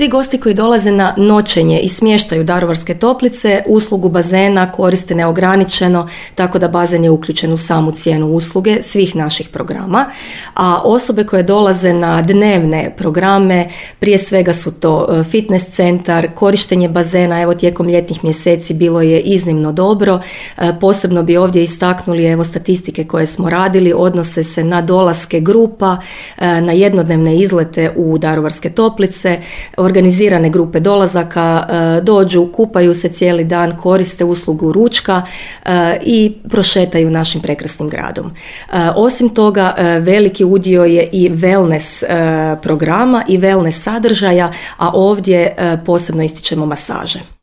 svi gosti koji dolaze na noćenje i smještaju Daruvarske toplice uslugu bazena koriste neograničeno, tako da bazen je uključen u samu cijenu usluge svih naših programa, a osobe koje dolaze na dnevne programe, prije svega su to fitness centar, korištenje bazena, evo tijekom ljetnih mjeseci bilo je iznimno dobro, posebno bi ovdje istaknuli evo statistike koje smo radili, odnose se na dolaske grupa, na jednodnevne izlete u Daruvarske toplice, organizirane grupe dolazaka, dođu, kupaju se cijeli dan, koriste uslugu ručka i prošetaju našim prekrasnim gradom. Osim toga, veliki udio je i wellness programa i wellness sadržaja, a ovdje posebno ističemo masaže.